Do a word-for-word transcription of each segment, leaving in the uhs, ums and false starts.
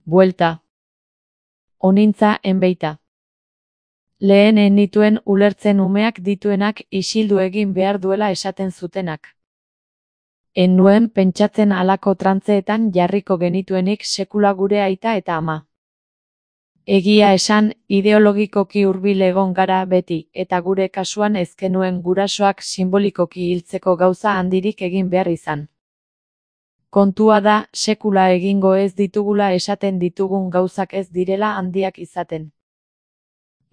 Buelta. Onintza enbeita. Lehen ez nituen ulertzen umeak dituenak isildu egin behar duela esaten zutenak. En nuen pentsatzen halako trantzeetan jarriko genituenik sekula gure aita eta ama. Egia esan, ideologikoki hurbil egon gara beti, eta gure kasuan ez genuen gurasoak sinbolikoki hiltzeko gauza handirik egin behar izan. Kontua da, sekula egingo ez ditugula esaten ditugun gauzak ez direla handiak izaten.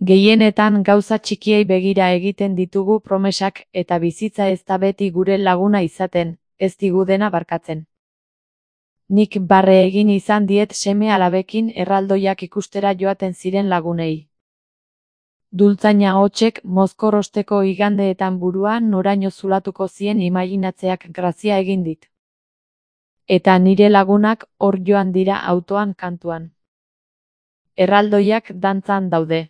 Gehienetan gauza txikiei begira egiten ditugu promesak eta bizitza ez da beti gure laguna izaten, ez digu dena barkatzen. Nik barre egin izan diet seme-alabekin erraldoiak ikustera joaten ziren lagunei. Dultzaina hotsek mozkorrosteko igandeetan buruan noraino zulatuko zien imaginatzeak grazia egin dit. Eta nire lagunak hor joan dira autoan kantuan. Erraldoiak dantzan daude.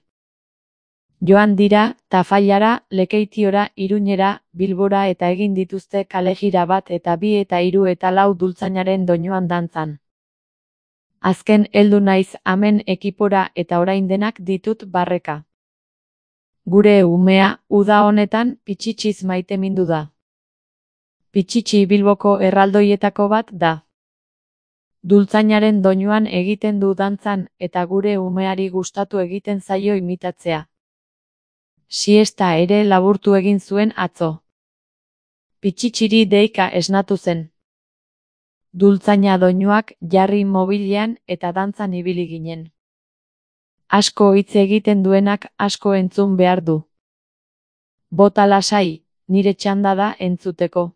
Joan dira, Tafallara, Lekeitiora, Iruñera, Bilbora eta egin dituzte kalejira bat eta bi eta hiru eta lau dultzainaren doinuan dantzan. Azken heldu naiz amen ekipora eta orain denak ditut barreka. Gure umea, uda honetan, Pitxitsiz maitemindu da. Pitxitsi Bilboko erraldoietako bat da. Dultzainaren doinuan egiten du dantzan eta gure umeari gustatu egiten zaio imitatzea. Siesta ere laburtu egin zuen atzo. Pitxitziri deika esnatu zen. Dultzaina doinuak jarri mobilean eta dantzan ibili ginen. Asko hitz egiten duenak asko entzun behar du. Bota lasai, nire txanda da entzuteko.